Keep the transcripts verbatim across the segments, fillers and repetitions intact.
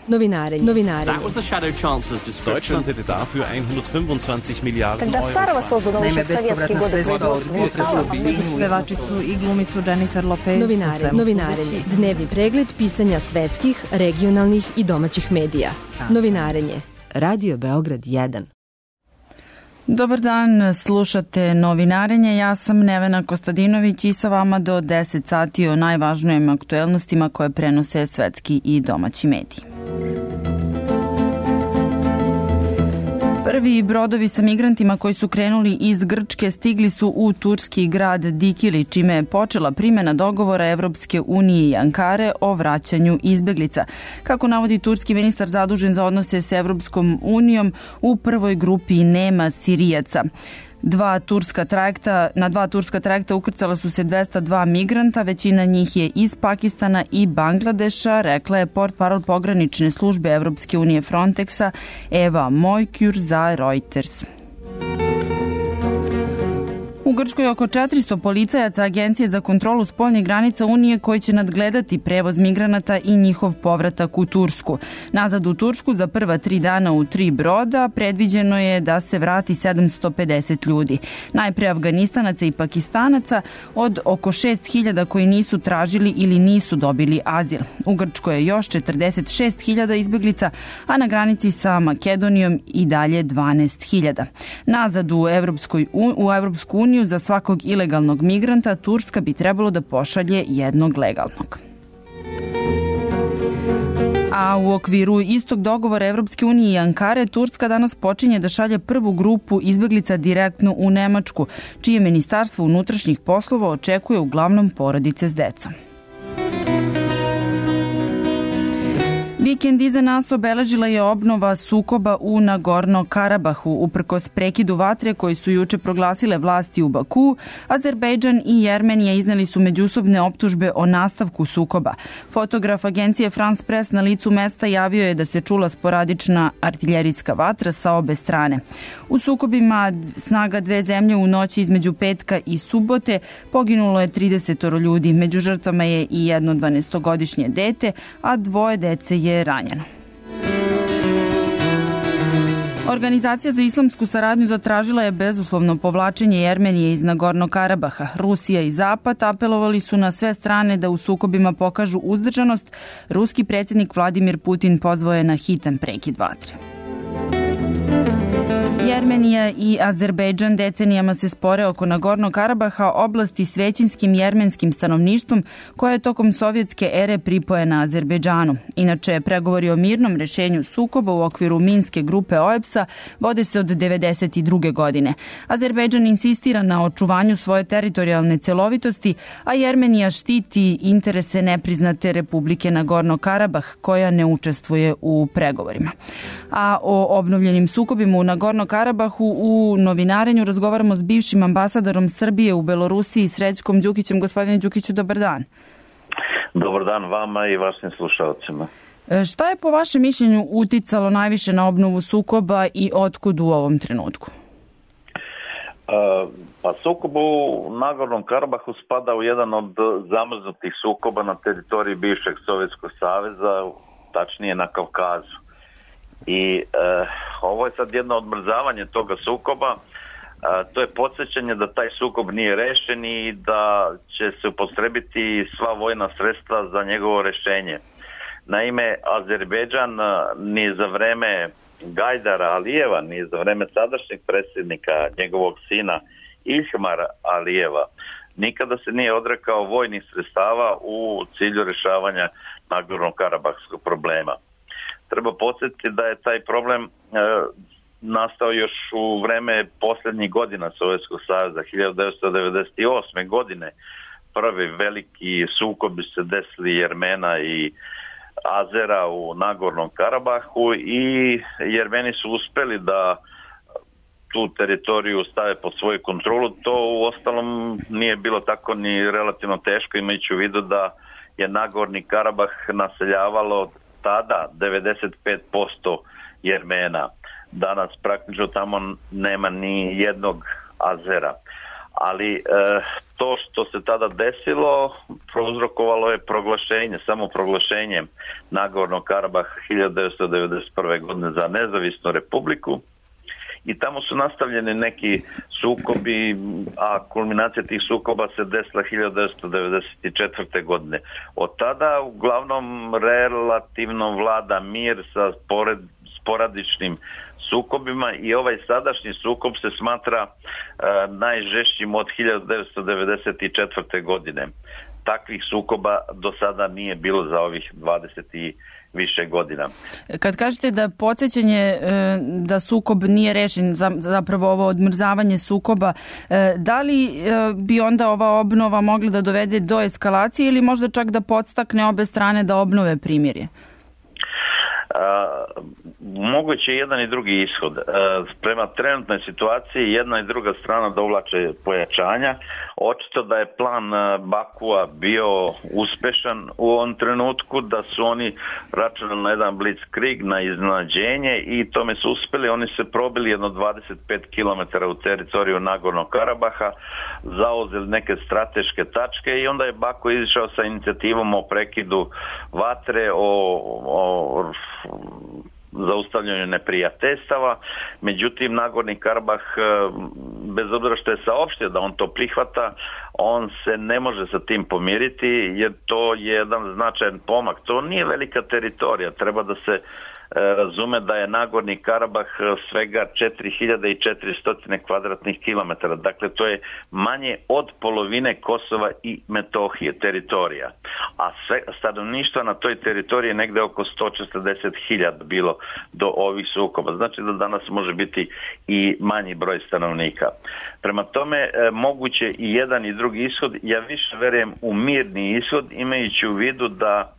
Novinarenje. Novinarenje. That was the Shadow Chancellor's description. Deutschland hätte dafür hundertfünfundzwanzig Miliarden Когда Euro. Старого создано еще в советские годы. Pevačicu i glumicu Jennifer Lopez. Novinarenje. Novinarenje. Dnevni pregled pisanja svetskih, regionalnih i domaćih medija. Novinarenje. Radio Beograd jedan. Dobar dan, slušate Novinarenje, ja sam Nevena Kostadinović i sa vama do deset sati o najvažnijim aktuelnostima koje prenose svetski i domaći mediji. Prvi brodovi sa migrantima koji su krenuli iz Grčke stigli su u turski grad Dikili, čime je počela primena dogovora Evropske unije i Ankare o vraćanju izbeglica. Kako navodi turski ministar zadužen za odnose s Evropskom unijom, u prvoj grupi nema Sirijaca. Dva turska trajekta, na dva turska trajekta ukrcala su se dvesta dva migranta, većina njih je iz Pakistana i Bangladeša, rekla je portparol pogranične službe Evropske unije Frontexa Eva Mojkjur za Reuters. U Grčkoj je oko četiristo policajaca Agencije za kontrolu spoljnih granica Unije koji će nadgledati prevoz migranata i njihov povratak u Tursku. Nazad u Tursku za prva tri dana u tri broda predviđeno je da se vrati sedamsto pedeset ljudi. Najpre Afganistanaca i Pakistanaca od oko šest hiljada koji nisu tražili ili nisu dobili azil. U Grčkoj je još četrdeset šest hiljada izbeglica, a na granici sa Makedonijom i dalje dvanaest hiljada. Nazad u Evropskoj, u Evropsku uniju za svakog ilegalnog migranta Turska bi trebalo da pošalje jednog legalnog. A u okviru istog dogovora Evropske unije i Ankare, Turska danas počinje da šalje prvu grupu izbeglica direktno u Nemačku, čije ministarstvo unutrašnjih poslova očekuje uglavnom porodice s decom. Vikend iza nas obeležila je obnova sukoba u Nagorno-Karabahu. Uprkos prekidu vatre koji su juče proglasile vlasti u Baku, Azerbejdžan i Jermenija izneli su međusobne optužbe o nastavku sukoba. Fotograf agencije France Press na licu mesta javio je da se čula sporadična artiljerijska vatra sa obe strane. U sukobima snaga dve zemlje u noći između petka i subote poginulo je trideset ljudi. Među žrtvama je i jedno dvanaestogodišnje dete, a dvoje dece je ranjeno. Organizacija za islamsku saradnju zatražila je bezuslovno povlačenje Jermenije iz Nagorno-Karabaha. Rusija i Zapad apelovali su na sve strane da u sukobima pokažu uzdržanost. Ruski predsjednik Vladimir Putin pozvao je na hitan prekid vatre. Jermenija i Azerbejdžan decenijama se spore oko Nagorno-Karabaha, oblasti s većinskim jermenskim stanovništvom koja je tokom sovjetske ere pripojena Azerbejdžanu. Inače, pregovori o mirnom rešenju sukoba u okviru Minske grupe O E B S-a vode se od devedeset druge. godine. Azerbejdžan insistira na očuvanju svoje teritorijalne celovitosti, a Jermenija štiti interese nepriznate Republike Nagorno-Karabah koja ne učestvuje u pregovorima. A o obnovljenim sukobima u Nagorno-Karabahu u Novinarenju razgovaramo s bivšim ambasadorom Srbije u Belorusiji, Srećkom Đukićem. Gospodine Đukiću, dobar dan. Dobar dan vama i vašim slušalcima. Šta je po vašem mišljenju uticalo najviše na obnovu sukoba i otkud u ovom trenutku? Uh, pa sukob u Nagornom Karabahu spada u jedan od zamrznutih sukoba na teritoriji bivšeg Sovjetskog saveza, tačnije na Kavkazu. I uh, ovo je sad jedno odmrzavanje toga sukoba. Uh, to je podsjećanje da taj sukob nije rešen i da će se upotrebiti sva vojna sredstva za njegovo rešenje. Naime, Azerbejdžan ni za vreme Gajdara Alijeva, ni za vreme sadašnjeg predsjednika, njegovog sina Ilhmara Alijeva, nikada se nije odrekao vojnih sredstava u cilju rešavanja Nagorno-Karabahskog problema. Treba podsjetiti da je taj problem e, nastao još u vreme posljednjih godina Sovjetskog saveza, hiljadu devetsto devedeset osme. godine. Prvi veliki sukobi se desili Jermena i Azera u Nagornom Karabahu i Jermeni su uspeli da tu teritoriju stave pod svoju kontrolu. To u ostalom nije bilo tako ni relativno teško, imajući u vidu da je Nagorni Karabah naseljavalo tada devedeset pet posto Jermena. Danas praktično tamo nema ni jednog Azera. ali e, to što se tada desilo prouzrokovalo je proglašenje, samo proglašenje Nagornog Karabaha hiljadu devetsto devedeset prve. godine za nezavisnu republiku. I tamo su nastavljeni neki sukobi, a kulminacija tih sukoba se desila hiljadu devetsto devedeset četvrte. godine. Od tada uglavnom relativno vlada mir sa pored, sporadičnim sukobima i ovaj sadašnji sukob se smatra e, najžešćim od hiljadu devetsto devedeset četvrte. godine. Takvih sukoba do sada nije bilo za ovih dvadeset i više godina. Kad kažete da podsjećanje da sukob nije rešen, zapravo ovo odmrzavanje sukoba, da li bi onda ova obnova mogla da dovede do eskalacije ili možda čak da podstakne obe strane da obnove primirje? Uh, moguće je jedan i drugi ishod. Uh, prema trenutnoj situaciji jedna i druga strana dovlače pojačanja. Očito da je plan Bakua bio uspešan u ovom trenutku, da su oni računali na jedan blitzkrieg, na iznenađenje i tome su uspeli. Oni se probili jedno dvadeset pet kilometara u teritoriju Nagornog Karabaha, zauzeli neke strateške tačke i onda je Baku izišao sa inicijativom o prekidu vatre, o, o zaustavljanju neprijateljstava. Međutim, Nagorni Karabah, bez obzira što je saopštio da on to prihvata, on se ne može sa tim pomiriti jer to je jedan značajan pomak. To nije velika teritorija, treba da se razume da je Nagorni Karabah svega četiri hiljade četiristo kvadratnih kilometara. Dakle, to je manje od polovine Kosova i Metohije teritorija. A sve, stanovništva na toj teritoriji je negde oko sto četrdeset hiljada bilo do ovih sukoba. Znači da danas može biti i manji broj stanovnika. Prema tome, moguće i jedan i drugi ishod. Ja više verujem u mirni ishod, imajući u vidu da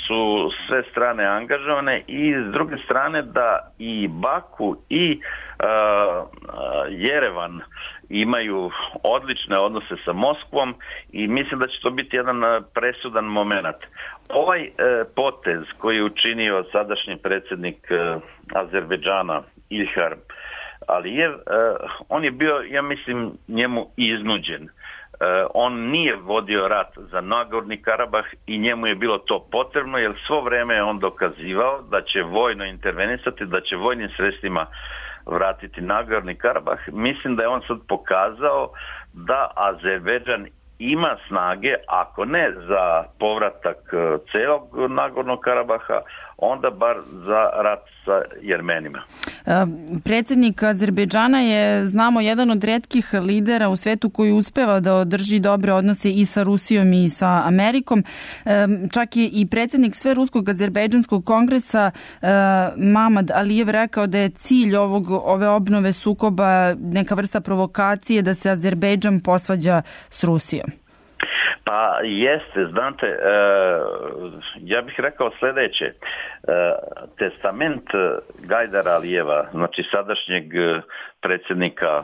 su sve strane angažovane i s druge strane da i Baku i uh, Jerevan imaju odlične odnose sa Moskvom i mislim da će to biti jedan presudan moment. Ovaj uh, potez koji je učinio sadašnji predsjednik uh, Azerbejdžana Ilhar Alijev, uh, on je bio, ja mislim, njemu iznuđen. Uh, on nije vodio rat za Nagorni Karabah i njemu je bilo to potrebno jer svo vrijeme je on dokazivao da će vojno intervenisati, da će vojnim sredstvima vratiti Nagorni Karabah. Mislim da je on sad pokazao da Azerbejdžan ima snage, ako ne za povratak celog Nagornog Karabaha, onda bar za rat sa Jermenima. Predsjednik Azerbejdžana je, znamo, jedan od retkih lidera u svetu koji uspeva da održi dobre odnose i sa Rusijom i sa Amerikom. Čak je i predsjednik Sveruskog azerbejdžanskog kongresa Mamad Alijev rekao da je cilj ovog, ove obnove sukoba neka vrsta provokacije da se Azerbejdžan posvađa s Rusijom. Pa jeste, znate, e, ja bih rekao sljedeće. E, testament Gajdara Alijeva, znači sadašnjeg predsjednika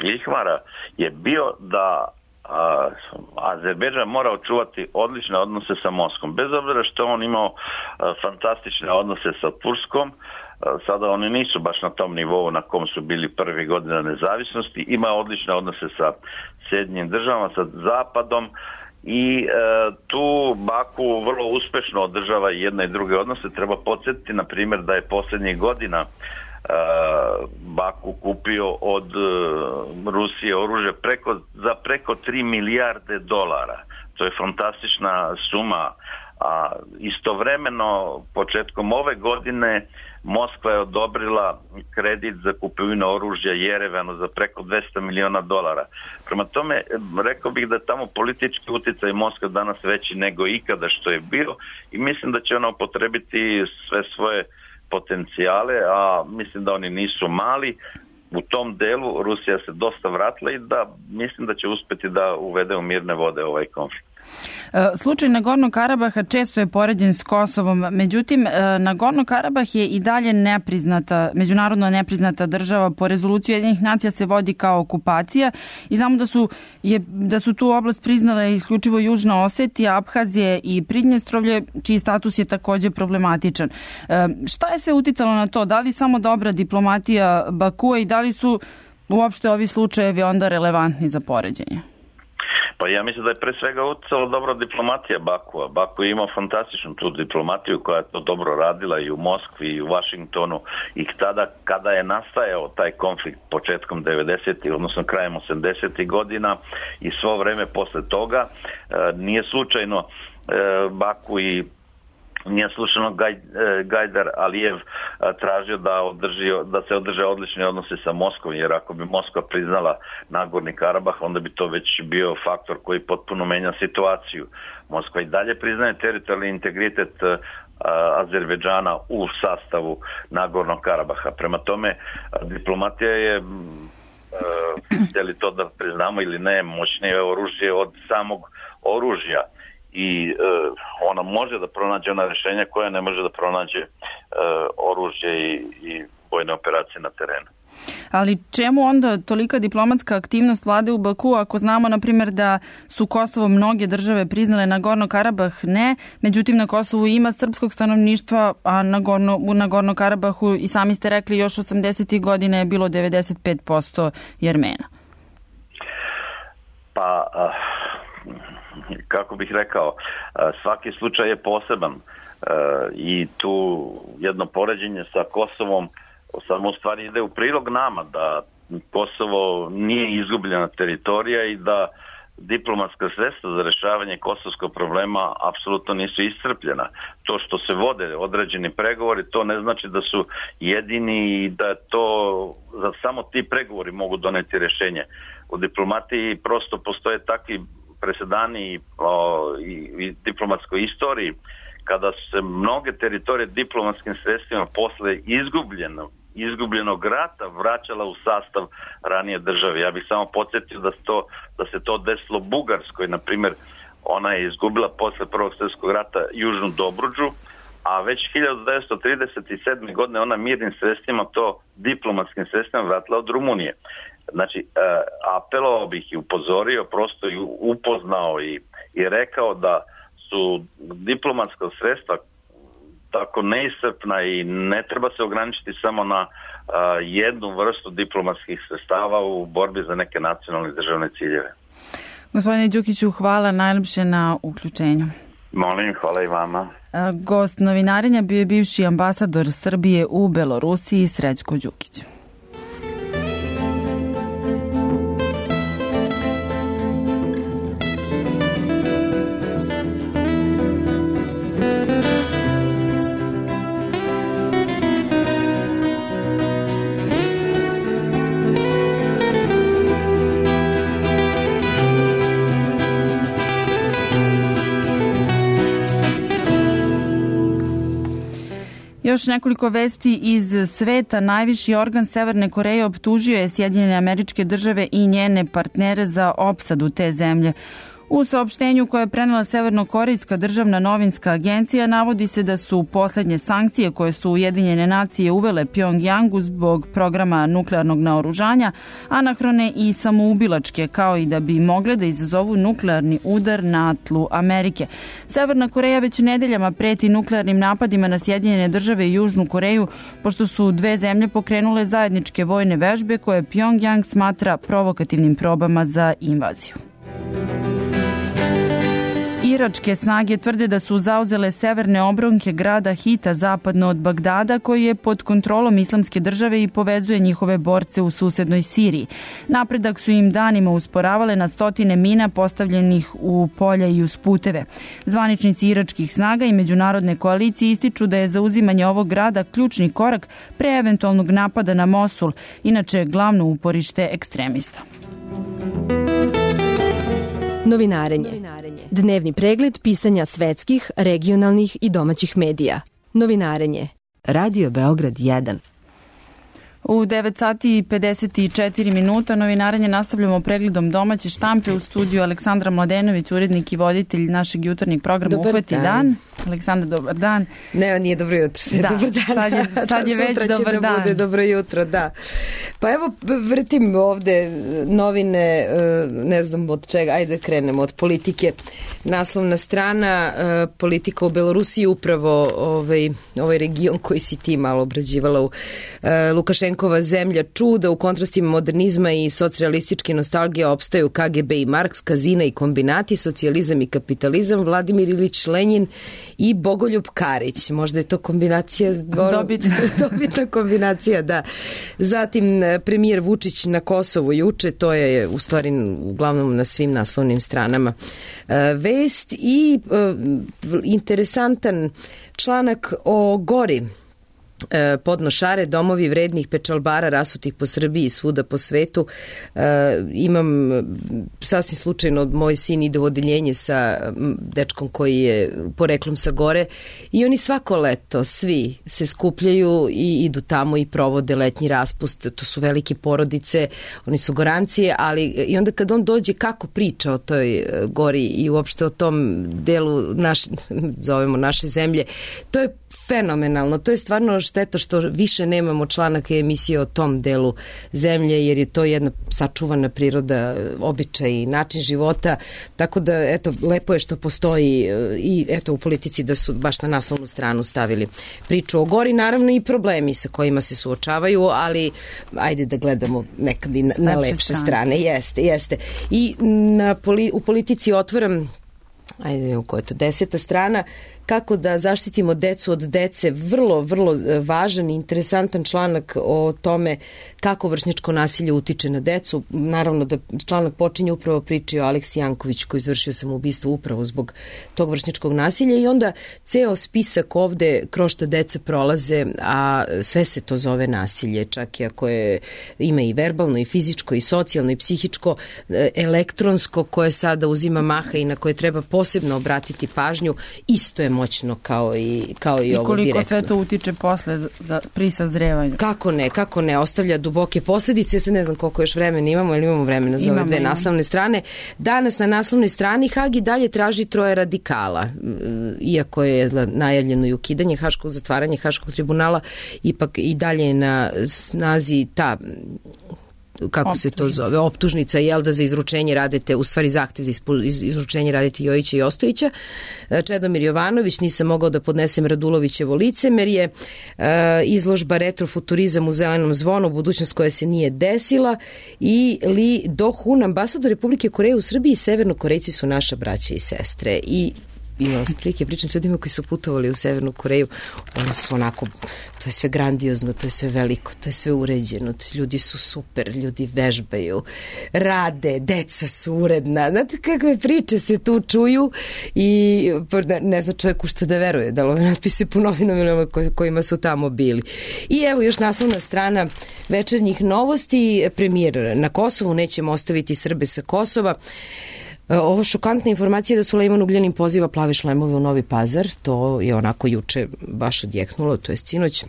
Ilhvara, je bio da a, Azerbejdžan mora očuvati odlične odnose sa Moskvom. Bez obzira što on imao a, fantastične odnose sa Turskom, sada oni nisu baš na tom nivou na kom su bili prvi godina nezavisnosti, ima odlične odnose sa Sjedinjenim državama, sa Zapadom i e, tu Baku vrlo uspešno održava i jedne i druge odnose. Treba podsjetiti, na primjer, da je posljednjih godina e, Baku kupio od e, Rusije oružje preko, za preko tri milijarde dolara. To je fantastična suma. A istovremeno, početkom ove godine, Moskva je odobrila kredit za kupovinu oružja Jerevanu za preko dvesta miliona dolara. Prema tome, rekao bih da je tamo politički utjecaj Moskva danas veći nego ikada što je bio i mislim da će ona upotrebiti sve svoje potencijale, a mislim da oni nisu mali. U tom delu Rusija se dosta vratila i da mislim da će uspjeti da uvede u mirne vode ovaj konflikt. Slučaj Nagornog Karabaha često je poređen s Kosovom, međutim Nagorno Karabah je i dalje nepriznata, međunarodno nepriznata država. Po rezoluciji Ujedinjenih nacija se vodi kao okupacija i znamo da su, je, da su tu oblast priznale isključivo Južna Osetija, Abhazije i Pridnjestrovlje, čiji status je također problematičan. Šta je sve uticalo na to? Da li samo dobra diplomatija Bakua i da li su uopšte ovi slučajevi onda relevantni za poređenje? Pa ja mislim da je pre svega utjecala dobra diplomatija Bakua. Baku je imao fantastičnu tu diplomatiju koja je to dobro radila i u Moskvi i u Vašingtonu i tada kada je nastajao taj konflikt početkom devedesetih, odnosno krajem osamdesetih godina i svo vreme posle toga, nije slučajno Baku i nije slučajno Gajdar Alijev tražio da, održi, da se održe odlični odnose sa Moskvom, jer ako bi Moskva priznala Nagorni Karabah, onda bi to već bio faktor koji potpuno menja situaciju. Moskva i dalje priznaje teritorijalni integritet Azerbejdžana u sastavu Nagornog Karabaha. Prema tome, diplomatija je, htjeli to da priznamo ili ne, moćnije oružje od samog oružja. I uh, ona može da pronađe ona rješenja koja ne može da pronađe uh, oružje i, i vojne operacije na terenu. Ali čemu onda tolika diplomatska aktivnost vlade u Baku ako znamo, na primjer, da su Kosovo mnoge države priznale, Nagorno Karabah ne, međutim na Kosovu ima srpskog stanovništva, a Nagorno, u Nagorno Karabahu i sami ste rekli još osamdesetih godina je bilo devedeset pet posto Jermena. Pa... Uh... kako bih rekao, svaki slučaj je poseban i tu jedno poređenje sa Kosovom samo u stvari ide u prilog nama da Kosovo nije izgubljena teritorija i da diplomatska sredstva za rješavanje kosovskog problema apsolutno nisu iscrpljena. To što se vode određeni pregovori, to ne znači da su jedini i da to da samo ti pregovori mogu doneti rješenje. U diplomatiji prosto postoje takvi presedani o, i, i diplomatskoj istoriji kada su se mnoge teritorije diplomatskim sredstvima posle izgubljenog, izgubljenog rata vraćala u sastav ranije države. Ja bih samo podsjetio da, to, da se to desilo Bugarskoj, na primjer, ona je izgubila posle Prvog svjetskog rata Južnu Dobruđu, a već hiljadu devetsto trideset sedme. godine ona mirnim sredstvima to diplomatskim sredstvima vratila od Rumunije. Znači, apelovao bih i upozorio, prosto i upoznao i, i rekao da su diplomatska sredstva tako neiscrpna i ne treba se ograničiti samo na a, jednu vrstu diplomatskih sredstava u borbi za neke nacionalne državne ciljeve. Gospodine Đukiću, hvala najljepše na uključenju. Molim, hvala i vama. A, gost novinarenja bio je bivši ambasador Srbije u Belorusiji, Srećko Đukić. Još nekoliko vesti iz sveta. Najviši organ Severne Koreje optužio je Sjedinjene Američke Države i njene partnere za opsadu te zemlje. U saopštenju koje je prenela Severnokorejska državna novinska agencija navodi se da su posljednje sankcije koje su Ujedinjene nacije uvele Pjongjangu zbog programa nuklearnog naoružanja anahrone i samoubilačke, kao i da bi mogle da izazovu nuklearni udar na tlu Amerike. Severna Koreja već nedeljama preti nuklearnim napadima na Sjedinjene Države i Južnu Koreju, pošto su dve zemlje pokrenule zajedničke vojne vežbe koje Pjongjang smatra provokativnim probama za invaziju. Iračke snage tvrde da su zauzele severne obronke grada Hita zapadno od Bagdada, koji je pod kontrolom Islamske države i povezuje njihove borce u susednoj Siriji. Napredak su im danima usporavale na stotine mina postavljenih u polja i uz puteve. Zvaničnici iračkih snaga i međunarodne koalicije ističu da je zauzimanje ovog grada ključni korak pre eventualnog napada na Mosul, inače glavno uporište ekstremista. Novinarenje. Dnevni pregled pisanja svetskih, regionalnih i domaćih medija. Novinarenje. Radio Beograd jedan. U devet sati i pedeset četiri minuta novinarenje nastavljamo pregledom domaće štampe. U studiju Aleksandra Mladenović, urednik i voditelj našeg jutarnjeg programa Dobar Uhvati dan. dan. Aleksandar, dobar dan. Ne, nije dobro jutro, sve da, dobar dan. Sad je, sad je već sutra dobar će dan. Da bude dobro jutro, da. Pa evo, vrtim ovde novine, ne znam od čega, ajde krenemo od politike. Naslovna strana, politika u Belorusiji, upravo ovaj, ovaj region koji si ti malo obrađivala u Lukašenko Lukašenkova zemlja čuda, u kontrastima modernizma i socrealističke nostalgije opstaju K G B i Marks, Kazina i kombinati, socijalizam i kapitalizam, Vladimir Ilić Lenjin i Bogoljub Karić. Možda je to kombinacija... Dobitna. Dobitna kombinacija, da. Zatim premijer Vučić na Kosovu juče, to je u stvari uglavnom na svim naslovnim stranama vest i interesantan članak o Gori. Podnošare, domovi vrednih pečalbara rasutih po Srbiji i svuda po svetu. E, imam sasvim slučajno, moj sin ide u odeljenje sa dečkom koji je poreklom sa Gore i oni svako leto, svi se skupljaju i idu tamo i provode letnji raspust. To su velike porodice, oni su Gorancije, ali i onda kad on dođe kako priča o toj Gori i uopšte o tom delu naše, zovemo naše zemlje, to je fenomenalno. To je stvarno šteta što više nemamo članaka i emisije o tom delu zemlje, jer je to jedna sačuvana priroda, običaj i način života. Tako da, eto, lepo je što postoji i eto u politici da su baš na naslovnu stranu stavili priču o Gori. Naravno i problemi sa kojima se suočavaju, ali ajde da gledamo nekad i na, na lepše strane. strane. Jeste, jeste. I na, u politici otvaram, ajde, koja je to deseta strana, kako da zaštitimo decu od dece, vrlo, vrlo važan i interesantan članak o tome kako vršnjačko nasilje utiče na decu. Naravno da članak počinje upravo priči o Aleksi Janković koji izvršio samoubistvo upravo zbog tog vršnjačkog nasilja i onda ceo spisak ovde kroz šta deca prolaze, a sve se to zove nasilje, čak i ako je, ima i verbalno i fizičko i socijalno i psihičko, elektronsko koje sada uzima maha i na koje treba posebno obratiti pažnju, isto je moćno kao i, kao i, I ovo direktno. I koliko sve to utiče posle za, pri sazrevanju? Kako ne, kako ne, ostavlja duboke posledice, se ne znam koliko još vremena imamo, ili imamo vremena za ove dve imamo. naslovne strane. Danas na naslovnoj strani Hag i dalje traži troje radikala, iako je najavljeno i ukidanje Haškog, zatvaranje Haškog tribunala, ipak i dalje je na snazi ta kako optužnica. se to zove, optužnica, jel da za izručenje radite, u stvari zahtev za izručenje radite Jojića i Ostojića. Čedomir Jovanović, nisam mogao da podnesem Radulovićevo licemerje, izložba retrofuturizam u Zelenom zvonu, budućnost koja se nije desila, i Li Do-hun, ambasador Republike Koreje u Srbiji i Severnokorejci su naša braća i sestre. I imala sam prilike pričam s ljudima koji su putovali u Severnu Koreju, ono su onako, to je sve grandiozno, to je sve veliko, to je sve uređeno, ljudi su super, ljudi vežbaju, rade, deca su uredna, znate kakve priče se tu čuju i ne zna čovjek u što da veruje, da li ove natpise po novinama kojima su tamo bili. I evo još naslovna strana Večernjih novosti, premijer na Kosovu, nećemo ostaviti Srbe sa Kosova. Ovo šokantna informacija da Sulejman Ugljanin poziva plave šlemove u Novi Pazar, to je onako juče baš odjeknulo, to je sinoć.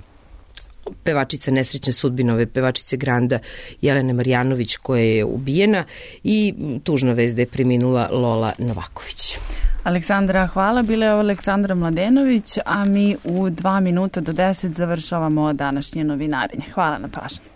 Pevačica nesrećne sudbinove, pevačice Granda Jelene Marjanović koja je ubijena i tužna vest da je preminula Lola Novaković. Aleksandra, hvala. Bila je ovo Aleksandra Mladenović, a mi u dva minuta do deset završavamo današnje novinarenje. Hvala na pažnji.